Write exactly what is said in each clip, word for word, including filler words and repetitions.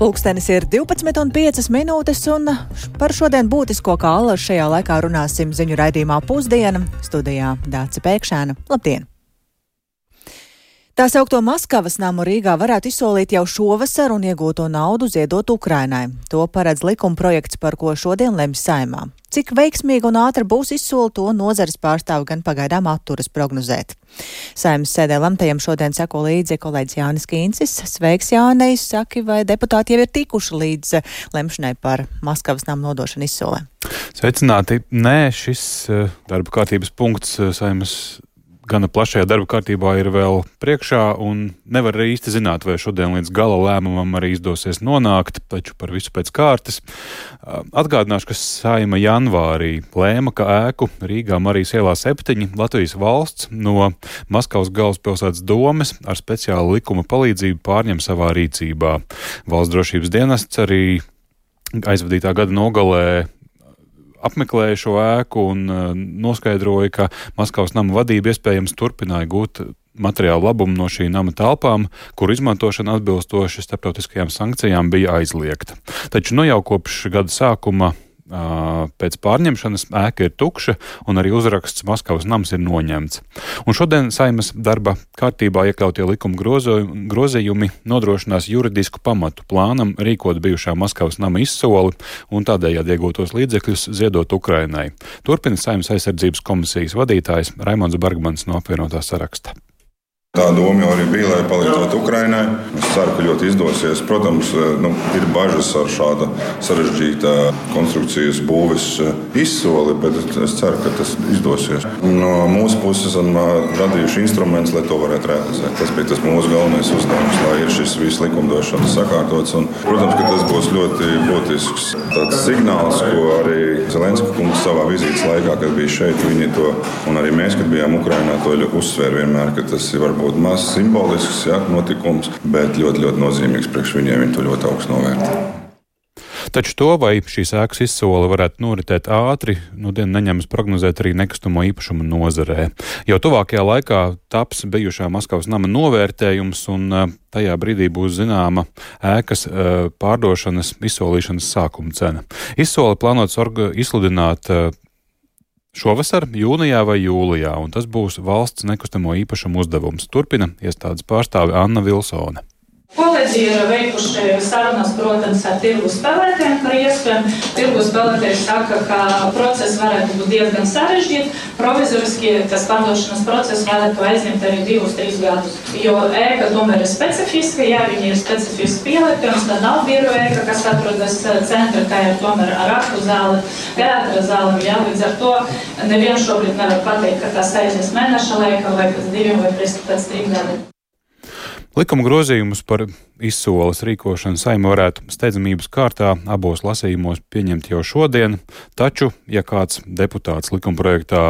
Pulkstenis ir divpadsmit un piecas minūtes, un par šodien būtisko kā allaž šajā laikā runāsim ziņu raidījumā Pusdiena. Studijā Dāce Pēkšēna. Labdien! Tā saukto Maskavas namu Rīgā varētu izsolīt jau šovasar un iegūto naudu ziedot Ukrainai. To paredz likumprojekts, par ko šodien lemj Saeimā. Cik veiksmīgi un ātri būs izsoli, to nozares pārstāvi gan pagaidām atturas prognozēt. Saeimas sēdē lemtajam šodien seko līdzi kolēģis Jānis Kīncis. Sveiks, Jānis! Saki, vai deputāti jau ir tikuši līdz lemšanai par Maskavas namu nodošanu izsolē? Sveicināti! Nē, šis darba kārtības punkts Saeimas gana plašajā darba kārtībā ir vēl priekšā, un nevar arī īsti zināt, vai šodien līdz gala lēmumam arī izdosies nonākt, taču par visu pēc kārtas. Atgādināšu, ka Saeima janvārī lēma, ka ēku Rīgā Marijas ielā septiņi Latvijas valsts no Maskavas galvaspilsētas domes ar speciālu likuma palīdzību pārņem savā rīcībā. Valsts drošības dienests arī aizvadītā gada nogalē apmeklēja šo ēku un uh, noskaidroja, ka Maskavas nama vadība iespējams turpināja gūt materiālu labumu no šī nama telpām, kur izmantošana atbilstoši starptautiskajām sankcijām bija aizliegta. Taču nu jau kopš gada sākuma uh, pēc pārņemšanas ēka ir tukša un arī uzraksts Maskavas nams ir noņemts. Un šodien Saeimas darba kārtībā iekļautie likuma grozījumi nodrošinās juridisku pamatu plānam rīkot bijušā Maskavas nama izsoli un tādējādi iegūtos līdzekļus ziedot Ukrainai. Turpina Saeimas aizsardzības komisijas vadītājs Raimonds Bergmans no apvienotā saraksta. Tā doma jau arī bija, lai palīdzētu Ukrainai. Es ceru, ka ļoti izdosies. Protams, nu, ir bažas ar šāda sarežģīta konstrukcijas būves izsoli, bet es ceru, ka tas izdosies. No mūsu puses esam radījuši instrumentus, lai to varētu realizēt. Tas bija tas mūsu galvenais uzdevums, lai ir šis viss likumdošanas sakārtots. Un, protams, ka tas būs ļoti būtisks tāds signāls, ko arī Zelenska kungs savā vizītes laikā, kad bija šeit, viņi to, un arī mēs, kad bijām Ukrainā, to uzsvēra vienmēr, ka tas ir varbūt būtu maz simbolisks, ja, notikums, bet ļoti, ļoti nozīmīgs priekš viņiem. Viņi to ļoti augstu novērtē. Taču to, vai šīs ēkas izsole varētu noritēt ātri, nu dien neņemas prognozēt arī nekustamo īpašumu nozarē. Jau tuvākajā laikā taps bijušā Maskavas nama novērtējums, un tajā brīdī būs zināma ēkas pārdošanas, izsolīšanas sākuma cena. Izsole plānots izsludināt šovasar, jūnijā vai jūlijā, un tas būs valsts nekustamo īpašumu uzdevums. Turpina iestādes pārstāve Anna Vilsone. Kolēģi ir veikuši sarunas, protams, ar tirgus spēlētājiem par iespēju. Tirgus spēlētāji saka, ka process varētu būt diezgan sarežģīts. Provizoriski tas pārdošanas process varētu aizņemt arī divus, trīs gadus. Jo ēka tomēr ir specifiska, jā, viņi ir specifiski pielietojums, tā nav biroja ēka, kas atrodas centra, tā ir tomēr ar aktu zāli, teātra zāli, jā, līdz ar to neviens šobrīd nevar pateikt, ka tas aizies mēneša laika vai pēc diviem vai pēc trim gadiem. Likuma grozījumus par izsoles rīkošanu Saeima varētu steidzamības kārtā abos lasījumos pieņemt jau šodien, taču, ja kāds deputāts likumprojektā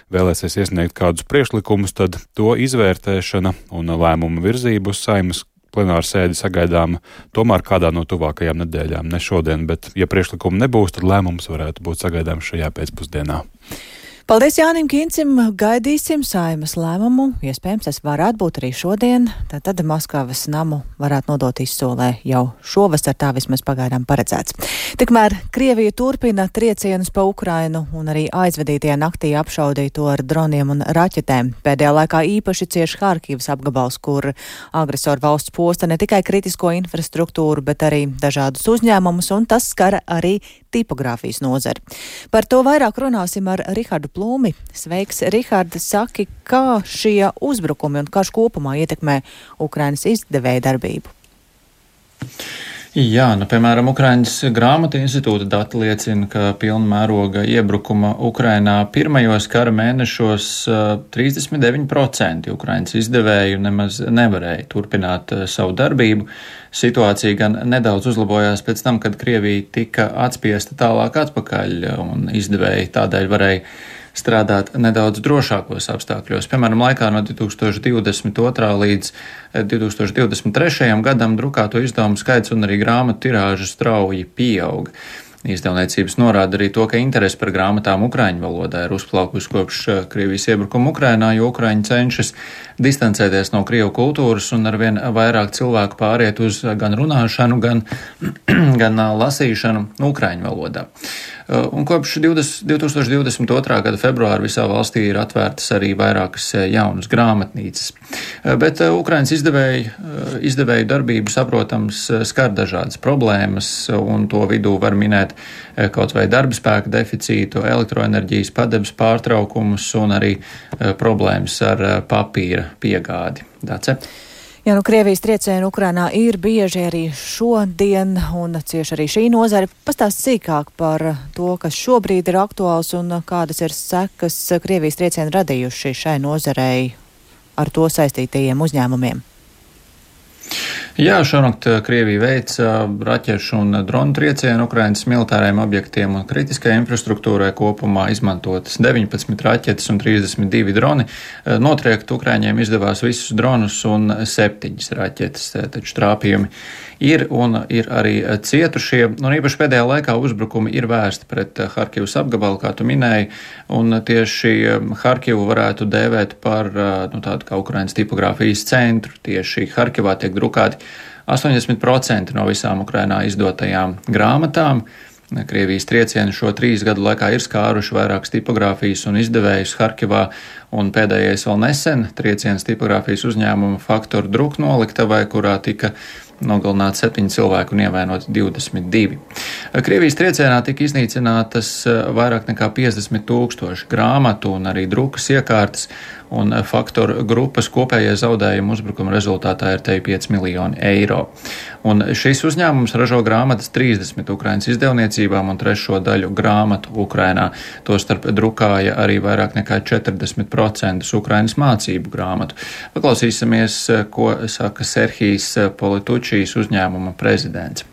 vēlēsies iesniegt kādus priekšlikumus, tad to izvērtēšana un lēmuma virzību uz Saeimas plenāru sēdi sagaidām tomēr kādā no tuvākajām nedēļām, ne šodien, bet ja priekšlikumu nebūs, tad lēmums varētu būt sagaidāms šajā pēcpusdienā. Paldies Jānim Kīncim, gaidīsim Saeimas lēmumu, iespējams tas varētu būt arī šodien, tad Maskavas namu varētu nodot izsolē jau šovasar, tā vismaz pagaidām paredzēts. Tikmēr Krievija turpina triecienus pa Ukrainu un arī aizvadītajā naktī apšaudīja to ar droniem un raķetēm. Pēdējā laikā īpaši cieši Harkivas apgabals, kur agresoru valsts posta ne tikai kritisko infrastruktūru, bet arī dažādus uzņēmumus, un tas skara arī tipogrāfijas nozari. Par to vairāk runāsim ar Rihardu Plūmi. Sveiks, Rihards, saki, kā šie uzbrukumi un karš kopumā ietekmē Ukrainas izdevēja darbību? Jā, nu, piemēram, Ukrainas grāmatu institūta dati liecina, ka pilna mēroga iebrukuma Ukrainā pirmajos kara mēnešos trīsdesmit deviņi procenti Ukrainas izdevēju nemaz nevarēja turpināt savu darbību. Situācija gan nedaudz uzlabojās pēc tam, kad Krievija tika atspiesta tālāk atpakaļ, un izdevēji tādēļ varēja strādāt nedaudz drošākos apstākļos. Piemēram, laikā no divi tūkstoši divdesmit otrā līdz divi tūkstoši divdesmit trešajam gadam drukāto izdevumu skaits un arī grāmatu tirāža strauji pieauga. Izdevniecības norāda arī to, ka interese par grāmatām ukraiņu valodā ir uzplaukusi kopš Krievijas iebrukuma Ukrainā, jo Ukraiņi cenšas distancēties no Krievu kultūras un arvien vairāk cilvēku pāriet uz gan runāšanu, gan, gan lasīšanu ukraiņu valodā. Un kopš divtūkstoš divdesmit otrā gada februāra visā valstī ir atvērtas arī vairākas jaunas grāmatnīcas. Bet Ukrainas izdevēju, izdevēju darbību, saprotams, skar dažādas problēmas, un to vidū var minēt kaut vai darba spēka deficītu, elektroenerģijas padebes pārtraukumus un arī problēmas ar papīra piegādi. Dace? Jā, nu Krievijas triecieni Ukrainā ir bieži arī šodien, un cieši arī šī nozare. Pastāst sīkāk par to, kas šobrīd ir aktuāls un kādas ir sekas Krievijas triecieni radījuši šai nozarei ar to saistītajiem uzņēmumiem. Jā, šonakt Krievija veica raķešu un dronu triecienu Ukrainas militārajiem objektiem un kritiskajai infrastruktūrai, kopumā izmantotas deviņpadsmit raķetes un trīsdesmit divi droni. Notriekt Ukraiņiem izdevās visus dronus un septiņas raķetes, taču trāpījumi ir un ir arī cietušie. Un īpaši pēdējā laikā uzbrukumi ir vērsti pret Harkivas apgabalu, kā tu minēji, un tieši Harkivu varētu dēvēt par nu, tādu kā Ukrainas tipogrāfijas centru. Tieši Harkivā tiek drukāti astoņdesmit procenti no visām Ukrainā izdotajām grāmatām. Krievijas triecieni šo trīs gadu laikā ir skāruši vairākas tipogrāfijas un izdevējus Harkivā, un pēdējais vēl nesen trieciens tipogrāfijas uzņēmuma Faktoru druku noliktavai, kurā tika nogalināti septiņi cilvēki un ievainoti divdesmit divi. Krievijas triecienā tika iznīcinātas vairāk nekā piecdesmit tūkstoši grāmatu un arī drukas iekārtas, un Faktoru grupas kopējie zaudējumi uzbrukuma rezultātā ir te pieci miljoni eiro. Un šis uzņēmums ražo grāmatas trīsdesmit Ukrainas izdevniecībām un trešo daļu grāmatu Ukrainā. Tostarp drukāja arī vairāk nekā četrdesmit procenti Ukrainas mācību grāmatu. Paklausīsimies, ko saka Serhijs Politučijs, uzņēmuma prezidents.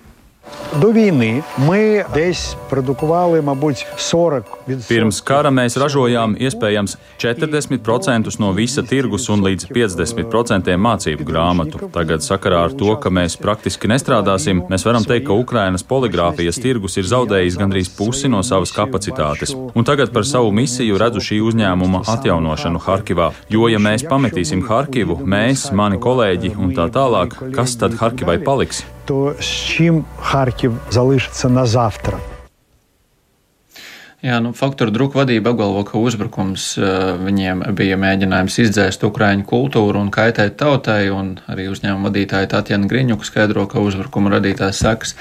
До війни ми десь продукували, мабуть, сорок відсотків. Pirms kara mēs ražojām iespējams četrdesmit procentus no visa tirgus un līdz piecdesmit procentiem mācību grāmatu. Tagad sakarā ar to, ka mēs praktiski nestrādāsim, mēs varam teikt, ka Ukrainas poligrāfijas tirgus ir zaudējis gandrīz pusi no savas kapacitātes. Un tagad par savu misiju redzu šī uzņēmuma atjaunošanu Harkivā. Jo, ja mēs pametīsim Harkivu, mēs, mani kolēģi un tā tālāk, kas tad Harkivai paliks? То з чим Харків залишиться на завтра? Jā, nu, Faktoru druku vadība apgalvo, ka uzbrukums viņiem bija mēģinājums izdzēst ukraiņu kultūru un kaitēt tautai, un arī uzņēmuma vadītāja Tatjana Griņuka skaidro, ka uzbrukuma radītās sekas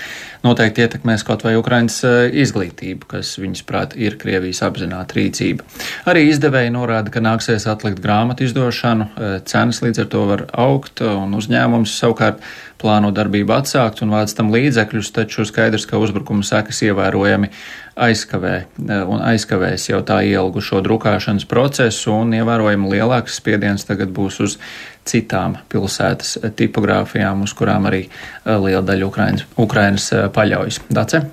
noteikti ietekmēs kaut vai Ukrainas izglītību, kas viņas prāt ir Krievijas apzināta rīcība. Arī izdevēji norāda, ka nāksies atlikt grāmatu izdošanu, cenas līdz ar to var augt, un uzņēmums savukārt plāno darbību atsākt un vāc tam līdzekļus, taču skaidrs, ka uzbrukuma sekas ievērojami aizkavē un aizkavēs jau tā ielgušo drukāšanas procesu, un ievērojami lielāks spiediens tagad būs uz citām pilsētas tipogrāfijām, uz kurām arī liela daļa Ukrainas, Ukrainas paļaujas. Dace?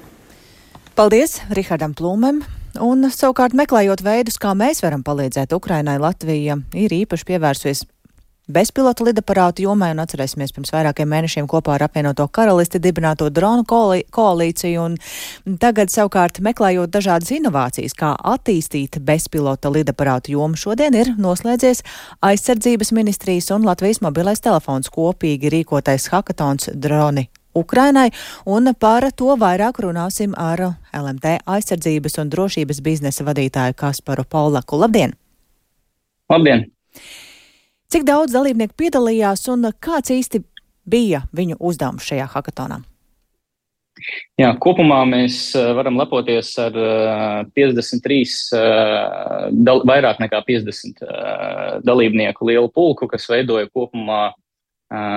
Paldies Rihardam Plūmem. Un savukārt meklējot veidus, kā mēs varam palīdzēt Ukrainai, Latvija ir īpaši pievērsusies bezpilota lidaparātu jomai, un atcerēsimies pirms vairākiem mēnešiem kopā ar apvienoto karalisti dibināto dronu koalīciju, un tagad savukārt meklējot dažādas inovācijas, kā attīstīt bezpilota lidaparātu jomu, šodien ir noslēdzies aizsardzības ministrijas un Latvijas mobilais telefons kopīgi rīkotais hakatons droni Ukrainai, un par to vairāk runāsim ar L M T aizsardzības un drošības biznesa vadītāju Kasparu Paulaku. Labdien! Labdien! Cik daudz dalībnieku piedalījās un kāds īsti bija viņu uzdevums šajā hakatonā? Jā, kopumā mēs varam lepoties ar piecdesmit trīs, dal, vairāk nekā piecdesmit dalībnieku lielu pulku, kas veidoja kopumā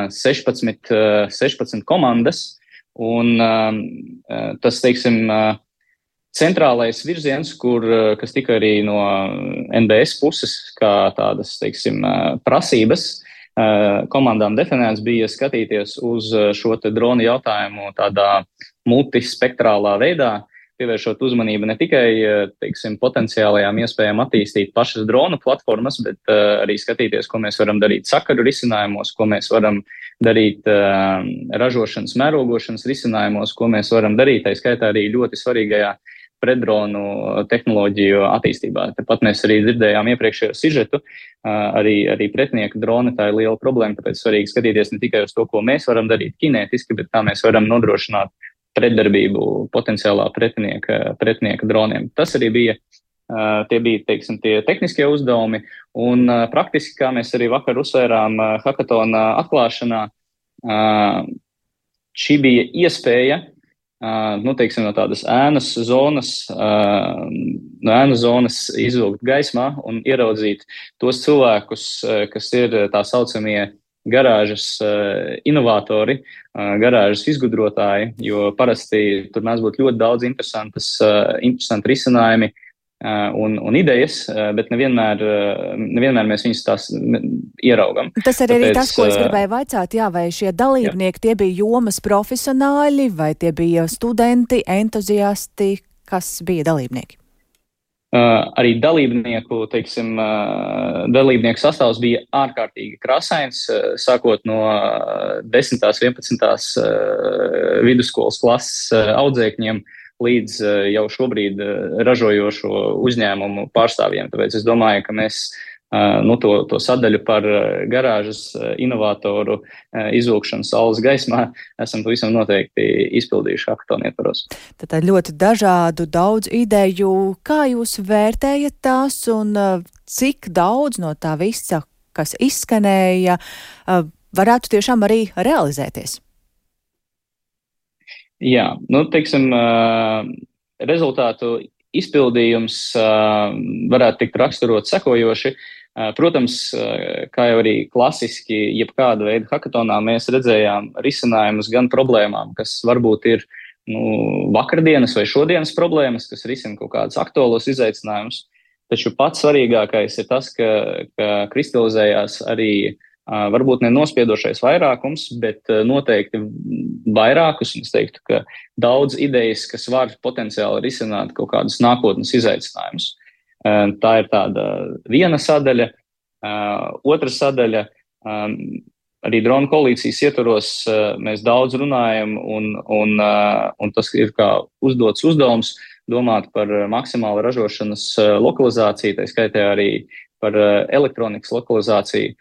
sešpadsmit, sešpadsmit komandas. Un tas, teiksim, centrālais virziens, kur, kas tika arī no N B S puses, kā tādas, teiksim, prasības komandām definēts, bija skatīties uz šo te dronu jautājumu tādā multispektrālā veidā, pievēršot uzmanību ne tikai, teiksim, potenciālajām iespējām attīstīt pašas dronu platformas, bet uh, arī skatīties, ko mēs varam darīt sakaru risinājumos, ko mēs varam darīt uh, ražošanas, mērogošanas risinājumos, ko mēs varam darīt, tā skaitā arī ļoti svarīgajā pretdronu tehnoloģiju attīstībā. Tāpat mēs arī dzirdējām iepriekšējo sižetu, arī, arī pretinieka droni, tā ir liela problēma, tāpēc svarīgi skatīties ne tikai uz to, ko mēs varam darīt kinētiski, bet kā mēs varam nodrošināt pretdarbību potenciālā pretinieka, pretinieka droniem. Tas arī bija, tie bija, teiksim, tie tehniskie uzdevumi, un praktiski, kā mēs arī vakar uzsvērām hakatona atklāšanā, šī bija iespēja, Uh, nu, teiksim, no tādas ēnas zonas, uh, no ēnas zonas izvilkt gaismā un ieraudzīt tos cilvēkus, uh, kas ir tā saucamie garāžas uh, inovatori, uh, garāžas izgudrotāji, jo parasti tur mēs būtu ļoti daudz interesantas, uh, interesanti risinājumi uh, un, un idejas, uh, bet nevienmēr, uh, nevienmēr mēs viņus tās ieraugam. Tas arī ir tas, ko es gribēju vaicāt, jā, vai šie dalībnieki, jā. Tie bija jomas profesionāļi, vai tie bija studenti, entuziasti, kas bija dalībnieki? Uh, arī dalībnieku, teiksim, uh, dalībnieku sastāvs bija ārkārtīgi krāsains, uh, sākot no uh, desmitās, vienpadsmitās uh, vidusskolas klases uh, audzēkņiem līdz uh, jau šobrīd uh, ražojošo uzņēmumu pārstāvjiem. Tāpēc es domāju, ka mēs Uh, nu, to, to sadaļu par uh, garāžas uh, inovatoru uh, izvilkšanu saules gaismā esam pavisam noteikti izpildījuši hakatona ietvaros. Tad ļoti dažādu, daudz ideju. Kā jūs vērtējat tās un uh, cik daudz no tā visa, kas izskanēja, uh, varētu tiešām arī realizēties? Jā, nu, teiksim, uh, rezultātu izpildījums uh, varētu tikt raksturot sekojoši. Protams, kā jau arī klasiski jebkāda veida hakatonā, mēs redzējām risinājumus gan problēmām, kas varbūt ir nu, vakardienas vai šodienas problēmas, kas risina kaut kādus aktuālos izaicinājumus. Taču pats svarīgākais ir tas, ka, ka kristalizējās arī varbūt ne nospiedošais vairākums, bet noteikti vairākus, un es teiktu, ka daudz idejas, kas var potenciāli risināt kaut kādus nākotnes izaicinājumus. Tā ir tāda viena sadaļa. Otra sadaļa, arī dronu koalīcijas ietvaros mēs daudz runājam, un, un, un tas ir kā uzdots uzdevums domāt par maksimālu ražošanas lokalizāciju, tā skaitā arī par elektronikas lokalizāciju.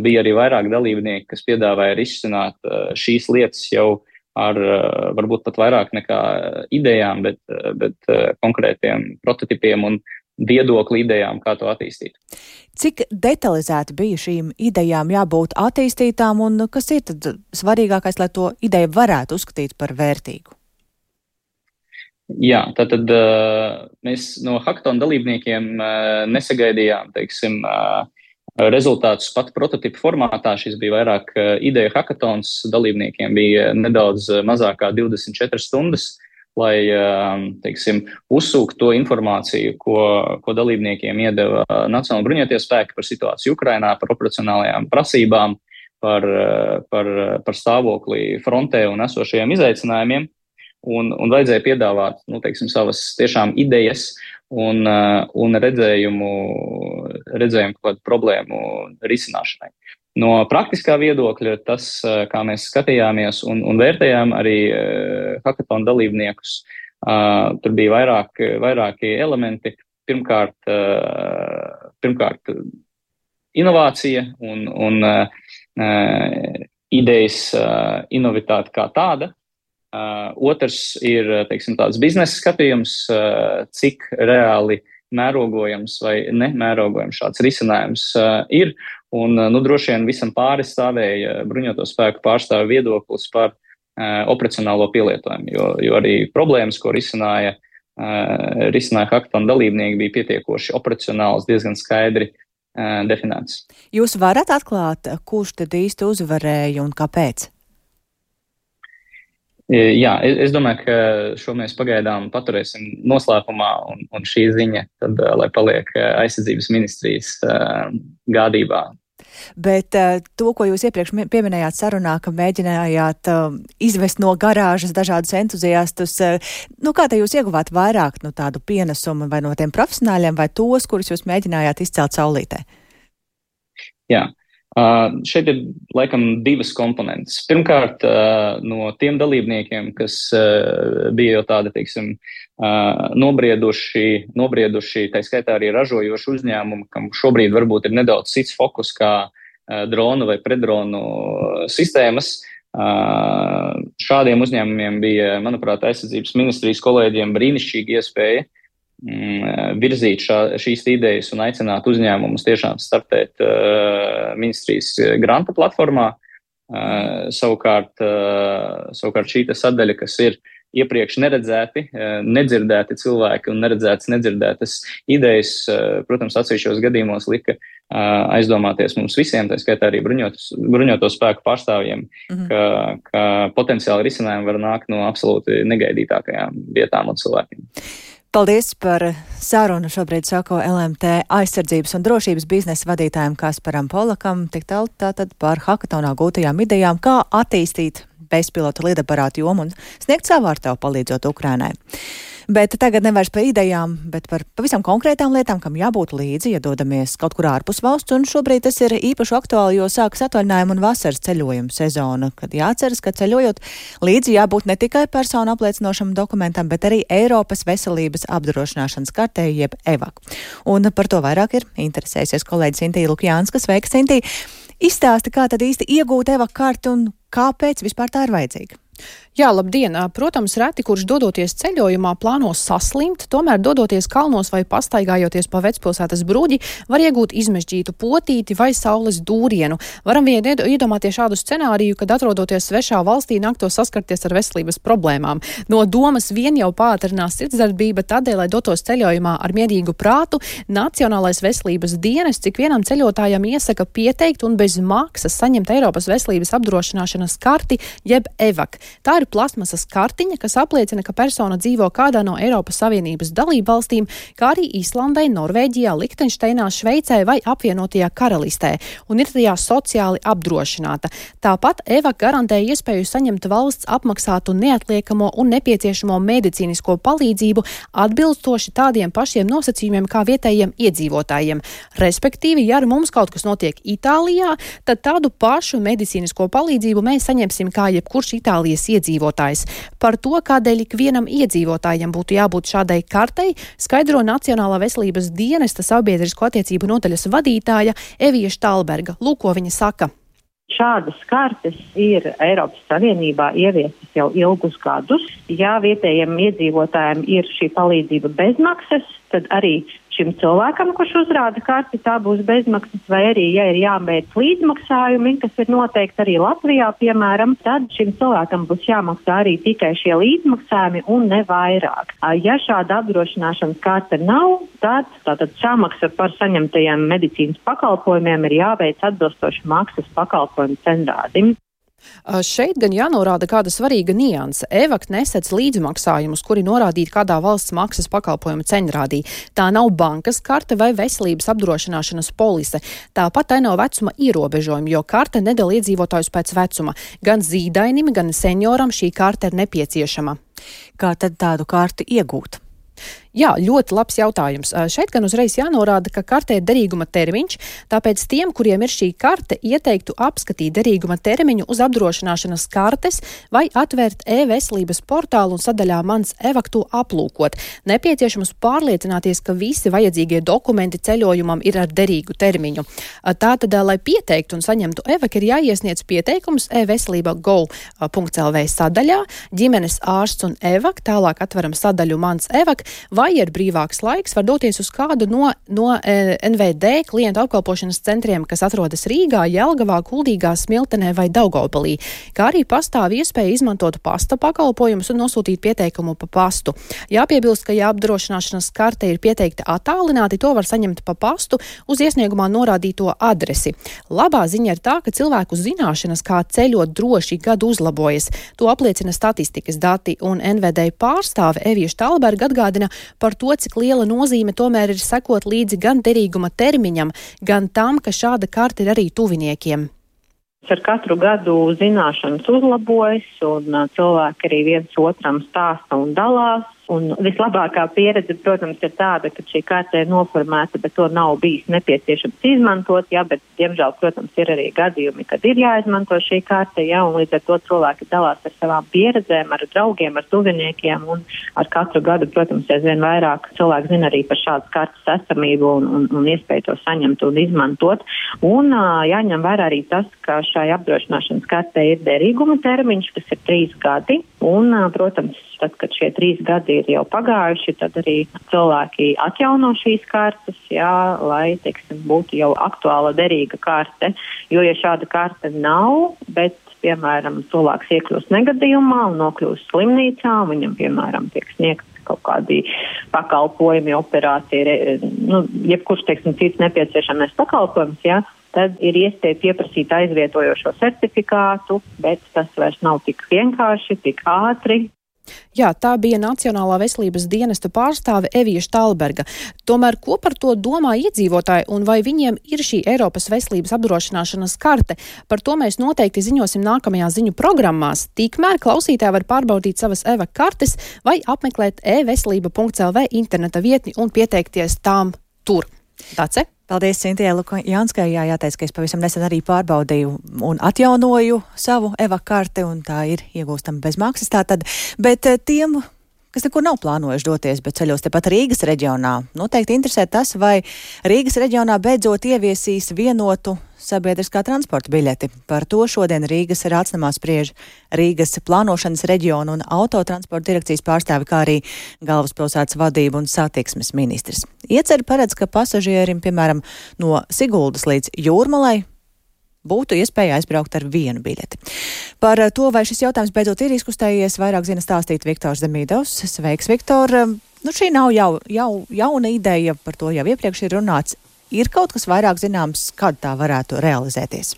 Bija arī vairāk dalībnieki, kas piedāvāja risināt šīs lietas jau ar varbūt pat vairāk nekā idejām, bet, bet konkrētiem prototipiem un viedokli idejām, kā to attīstīt. Cik detalizēti bija šīm idejām jābūt attīstītām, un kas ir tad svarīgākais, lai to ideju varētu uzskatīt par vērtīgu? Jā, tātad mēs no hakatona dalībniekiem nesagaidījām, teiksim, rezultātus pat prototipu formātā. Šis bija vairāk ideja hakatons, dalībniekiem bija nedaudz mazāk kā divdesmit četras stundas, lai, teiksim, uzsūkt to informāciju, ko, ko dalībniekiem iedeva Nacionālajie bruņotie spēki par situāciju Ukrainā, par operacionālajām prasībām, par, par, par stāvokli frontē un esošajiem izaicinājumiem, un, un vajadzēja piedāvāt, nu, teiksim, savas tiešām idejas un, un redzējumu, redzējumu kaut kādu problēmu risināšanai. No praktiskā viedokļa tas, kā mēs skatījāmies un, un vērtējām arī uh, hakatona dalībniekus, uh, tur bija vairāk, vairāki elementi. Pirmkārt, uh, pirmkārt inovācija un, un uh, idejas uh, inovitāte kā tāda. Uh, otrs ir, teiksim, tāds biznesa skatījums, uh, cik reāli mērogojams vai nemērogojams šāds risinājums uh, ir. Un, nu, droši vien visam pāri stāvēja bruņoto spēku pārstāvju viedoklis par uh, operacionālo pielietojumu, jo, jo arī problēmas, ko risināja, uh, risināja hakatona dalībnieki, bija pietiekoši operacionāls, diezgan skaidri uh, definēts. Jūs varat atklāt, kurš tad īsti uzvarēja un kāpēc? Jā, es domāju, ka šo mēs pagaidām paturēsim noslēpumā, un, un šī ziņa tad, lai paliek aizsardzības ministrijas uh, gādībā. bet uh, to, ko jūs iepriekš pieminējāt sarunā, ka mēģinājāt uh, izvest no garāžas dažādus entuziastus, uh, nu kā te jūs ieguvāt vairāk no tādu pienesumu vai no tiem profesionāļiem vai tos, kurus jūs mēģinājāt izcelt saulītē? Jā. Uh, šeit ir laikam divas komponentes. Pirmkārt, uh, no tiem dalībniekiem, kas uh, bija jau tādi, teiksim, uh, nobrieduši, nobrieduši, tā skaitā arī ražojoši uzņēmumi, kam šobrīd varbūt ir nedaudz cits fokus kā uh, dronu vai predronu sistēmas. Uh, šādiem uzņēmumiem bija, manuprāt, aizsardzības ministrijas kolēģiem brīnišķīga iespēja virzīt šā, šīs idejas un aicināt uzņēmumus tiešām startēt uh, ministrijas granta platformā. Uh, savukārt, uh, savukārt šī sadaļa, kas ir iepriekš neredzēti, uh, nedzirdēti cilvēki un neredzētas, nedzirdētas idejas, uh, protams, atsevišķos gadījumos lika uh, aizdomāties mums visiem, tā skaitā arī bruņotos, bruņoto spēku pārstāvjiem, mm-hmm. ka, ka potenciāli risinājumi var nākt no absolūti negaidītākajām vietām un cilvēkiem. Paldies par sarunu. Šobrīd sako L M T aizsardzības un drošības biznesa vadītājiem Kasparam Polakam, tik tālu tātad par hakatonā gūtajām idejām, kā attīstīt bezpilota lidaparātu jomu un sniegt savu ārtavu palīdzot Ukrainai. Bet tagad nevairs par idejām, bet par pavisam konkrētām lietām, kam jābūt līdzi, ja dodamies kaut kur ārpus valsts, un šobrīd tas ir īpaši aktuāli, jo sākas atvaļinājuma un vasaras ceļojuma sezona, kad jāatceras, ka ceļojot līdzi jābūt ne tikai personu apliecinošam dokumentam, bet arī Eiropas veselības apdrošināšanas kartē, jeb E V A K. Un par to vairāk ir interesējusies kolēģis Intija Lukjānska. Sveika, Intija! Izstāsti, kā tad īsti iegūt E V A K karti un kāpēc vispār tā ir vajadzīga? Jā, labdien! Protams, reti, kurš dodoties ceļojumā plāno saslimt, tomēr dodoties kalnos vai pastaigājoties pa vecpilsētas bruģi, var iegūt izmežģītu potīti vai saules dūrienu. Varam vien iedomāties šādu scenāriju, kad atrodoties svešā valstī nāktos saskarties ar veselības problēmām. No domas vien jau pātrinās sirdsdarbība, tādēļ, lai dotos ceļojumā ar mierīgu prātu, Nacionālais veselības dienests cik vienam ceļotājam iesaka pieteikt un bez maksas saņemt Eiropas veselības apdrošināšanas karti, jeb E V A K. Tā ir plasmasas kartiņa, kas apliecina, ka persona dzīvo kādā no Eiropas Savienības dalību valstīm, kā arī Īslandē, Norvēģijā, Lihtenšteinā, Šveicē vai apvienotajā karalistē, un ir tajā sociāli apdrošināta. Tāpat E V A K garantē iespēju saņemt valsts apmaksātu neatliekamo un nepieciešamo medicīnisko palīdzību atbilstoši tādiem pašiem nosacījumiem kā vietējiem iedzīvotājiem. Respektīvi, ja ar mums kaut kas notiek Itālijā, tad tādu pašu medicīnisko palīdzību mēs saņemsim kā jebkurš Itālijas iedzīvotājs. Par to, kādēļ ikvienam iedzīvotājiem būtu jābūt šādai kartei, skaidro Nacionālā veselības dienesta sabiedrisko attiecību nodaļas vadītāja Evija Štalberga. Lūk, ko viņa saka. Šādas kartes ir Eiropas Savienībā ieviestas jau ilgus gadus. Ja vietējiem iedzīvotājiem ir šī palīdzība bezmaksas, tad arī šim cilvēkam, kurš uzrāda karti, tā būs bezmaksas, vai arī, ja ir jābeidz līdzmaksājumi, kas ir noteikti arī Latvijā, piemēram, tad šim cilvēkam būs jāmaksā arī tikai šie līdzmaksājumi un ne vairāk. Ja šāda apdrošināšanas karte nav, tad tātad samaksa par saņemtajiem medicīnas pakalpojumiem ir jāveic atbilstoši maksas pakalpojumu cenrādim. Šeit gan jānorāda kāda svarīga nianse. E V A K nesedz līdzmaksājumus, kuri norādīti kādā valsts maksas pakalpojuma ceņrādī. Tā nav bankas karte vai veselības apdrošināšanas polise. Tāpat tai nav vecuma ierobežojumi, jo karte nedala iedzīvotājus pēc vecuma. Gan zīdainim, gan senioram šī karte ir nepieciešama. Kā tad tādu karti iegūt? Jā, ļoti labs jautājums. Šeit gan uzreiz jānorāda, ka kartē ir derīguma termiņš, tāpēc tiem, kuriem ir šī karte, ieteiktu apskatīt derīguma termiņu uz apdrošināšanas kartes vai atvērt e-veselības portālu un sadaļā Mans E V A K to aplūkot. Nepieciešams pārliecināties, ka visi vajadzīgie dokumenti ceļojumam ir ar derīgu termiņu. Tātad, lai pieteiktu un saņemtu E V A K, ir jāiesniedz pieteikums e-veselība go punkts l v sadaļā, ģimenes ārsts un E V A K, tālāk atveram sadaļu Mans E V A K, vai ir brīvāks laiks, var doties uz kādu no, no e, N V D klientu apkalpošanas centriem, kas atrodas Rīgā, Jelgavā, Kuldīgā, Smiltenē vai Daugavpilī, kā arī pastāv iespēja izmantot pasta pakalpojumus un nosūtīt pieteikumu pa pastu. Jāpiebilst, ka ja apdrošināšanas karte ir pieteikta attālināti, to var saņemt pa pastu uz iesniegumā norādīto adresi. Labā ziņa ir tā, ka cilvēku zināšanas, kā ceļot droši, gadu uzlabojas. To apliecina statistikas dati, un N V D pārstāve Evija Štalberga atgādina, par to, cik liela nozīme tomēr ir sekot līdzi gan derīguma termiņam, gan tam, ka šāda karte ir arī tuviniekiem. Ar katru gadu zināšanas uzlabojas, un cilvēki arī viens otram stāsta un dalās. Un vislabākā pieredze, protams, ir tāda, ka šī karte ir noformēta, bet to nav bijis nepieciešams izmantot, jā, bet, diemžēl, protams, ir arī gadījumi, kad ir jāizmanto šī karte, jā, un līdz ar to cilvēki dalās ar savām pieredzēm, ar draugiem, ar tuviniekiem, un ar katru gadu, protams, aizvien vairāk cilvēki zina arī par šādas kartes esamību un, un, un iespēju to saņemt un izmantot. Un jāņem vērā arī tas, ka šai apdrošināšanas kartē ir derīguma termiņš, kas ir trīs gadi, un, protams, tad, kad šie trīs gadi ir jau pagājuši, tad arī cilvēki atjauno šīs kartes, jā, lai, teiksim, būtu jau aktuāla derīga karte. Jo, ja šāda karte nav, bet, piemēram, cilvēks iekļūst negadījumā un nokļūst slimnīcā, viņam, piemēram, tiek sniegts kaut kādi pakalpojumi, operācija, nu, jebkurš, teiksim, cits nepieciešamais pakalpojums, jā, tad ir iespēja pieprasīt aizvietojošo certifikātu, bet tas vairs nav tik vienkārši, tik ātri. Jā, tā bija Nacionālā veselības dienesta pārstāve Evija Štalberga. Tomēr, ko par to domā iedzīvotāji un vai viņiem ir šī Eiropas veselības apdrošināšanas karte? Par to mēs noteikti ziņosim nākamajā ziņu programmās. Tikmēr klausītāji var pārbaudīt savas EVA kartes vai apmeklēt e veselība punkts el vē interneta vietni un pieteikties tām tur. Tāds? Paldies, Cintijai Lukaņanskai. Jā, jāteic, ka es pavisam nesen arī pārbaudīju un atjaunoju savu EVA karti, un tā ir iegūstama bez maksas tātad. Bet tiem, kas nekur nav plānojuši doties, bet ceļos tepat Rīgas reģionā, noteikti interesē tas, vai Rīgas reģionā beidzot ieviesīs vienotu sabiedriskā transporta biļeti. Par to šodien Rīgas Rācnamā spriež Rīgas plānošanas reģiona un autotransporta direkcijas pārstāvi, kā arī galvaspilsētas vadība un satiksmes ministrs. Ieceri paredz, ka pasažierim, piemēram, no Siguldas līdz Jūrmalai būtu iespēja aizbraukt ar vienu biļeti. Par to, vai šis jautājums beidzot ir izkustējies, vairāk zina stāstīt Viktors Demidovs. Sveiks, Viktor! Nu, šī nav jau, jau jauna ideja, par to jau iepriekš ir runāts. Ir kaut kas vairāk zināms, kad tā varētu realizēties?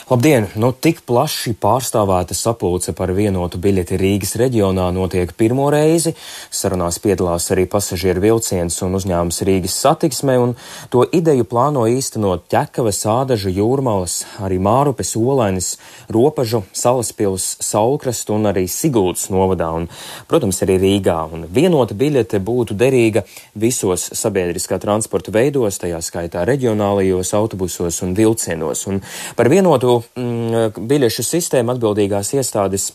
Labdien! Nu, tik plaši pārstāvēta sapulce par vienotu biļeti Rīgas reģionā notiek pirmo reizi. Sarunās piedalās arī pasažieru vilciens un uzņēmums Rīgas satiksme, un to ideju plāno īstenot Ķekavas, Ādažu, Jūrmalas, arī Mārupes, Olainas, Ropažu, Salaspils, Saulkrastu un arī Siguldas novadā, un, protams, arī Rīgā. Un vienota biļete būtu derīga visos sabiedriskā transporta veidos, tajā skaitā reģionālajos autobusos un vilcienos. Un par vienotu mm, biļešu sistēmu atbildīgās iestādes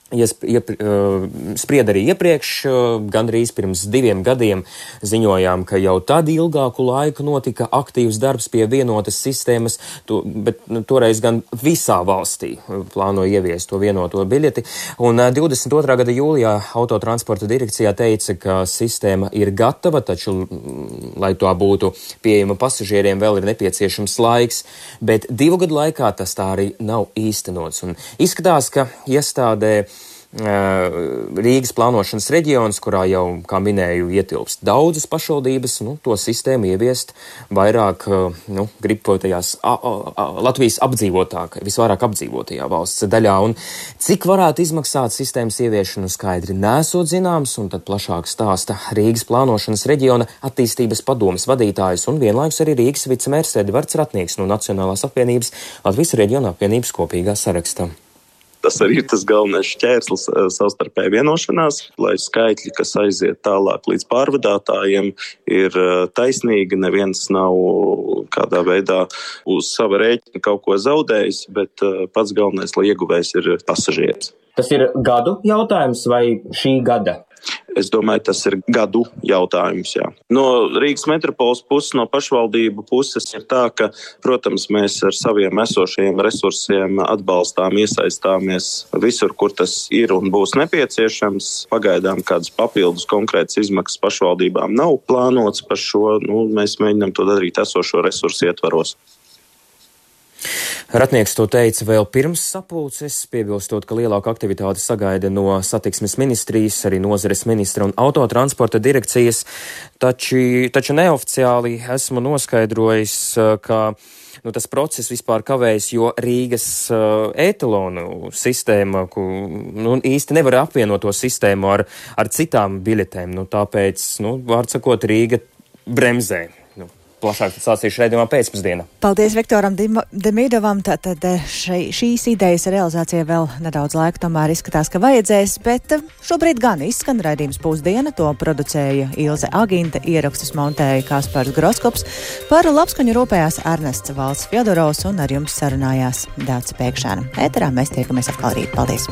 Iesp, iep, uh, spried arī iepriekš, uh, gandrīz pirms diviem gadiem ziņojām, ka jau tad ilgāku laiku notika aktīvs darbs pie vienotas sistēmas, to, bet nu, toreiz gan visā valstī plāno ieviest to vienoto biļeti. Un uh, divdesmit otrā gada jūlijā autotransporta direkcijā teica, ka sistēma ir gatava, taču, mm, lai to būtu pieejama pasažieriem, vēl ir nepieciešams laiks, bet divu gadu laikā tas tā arī nav īstenots. Un izskatās, ka iestādē Rīgas plānošanas reģions, kurā jau, kā minēju, ietilpst daudzas pašvaldības, nu, to sistēmu ieviest vairāk, nu, gribpotajās Latvijas apdzīvotāk, visvairāk apdzīvotajā valsts daļā. Un cik varētu izmaksāt sistēmas ieviešanu skaidri nesot zināms, un tad plašāk stāsta Rīgas plānošanas reģiona attīstības padomes vadītājs un vienlaikus arī Rīgas vicemērs Edvards Ratnieks no Nacionālās apvienības Latvijas reģiona apvienības kopīgā sarakstā. Tas arī ir tas galvenais šķērslis savstarpēji vienošanās, lai skaitļi, kas aiziet tālāk līdz pārvadātājiem, ir taisnīgi. Neviens nav kādā veidā uz sava rēķina kaut ko zaudējis, bet pats galvenais, lai ieguvējs ir pasažieris. Tas ir gadu jautājums vai šī gada? Es domāju, tas ir gadu jautājums, jā. No Rīgas metropoles puses, no pašvaldību puses ir tā, ka, protams, mēs ar saviem esošajiem resursiem atbalstām, iesaistāmies visur, kur tas ir un būs nepieciešams. Pagaidām kādas papildus konkrētas izmaksas pašvaldībām nav plānots par šo. Nu, mēs mēģinām to darīt esošo resursu ietvaros. Ratnieks to teica vēl pirms sapulces, piebilstot, ka lielāku aktivitāti sagaida no satiksmes ministrijas, arī nozares ministra un autotransporta direkcijas, taču, taču neoficiāli esmu noskaidrojis, ka nu, tas process vispār kavējas, jo Rīgas uh, etalonu sistēma, ku, nu, īsti nevar apvienot to sistēmu ar, ar citām biļetēm, nu, tāpēc, nu, vārdsakot, Rīga bremzē. Plašāk sācīšu raidījumā pēcpusdienā. Paldies Viktoram Demidovam. Tātad šai, šīs idejas realizācija vēl nedaudz laika tomēr izskatās, ka vajadzēs, bet šobrīd gan izskan raidījums Pusdiena. To producēja Ilze Agīnta, ierakstus montēja Kaspars Groskops. Par labskaņu rūpējās Ernests Valds Fjodorovs un ar jums sarunājās Dācis Pēkšēna. Ēterā mēs tiekamies atkal rīt. Paldies!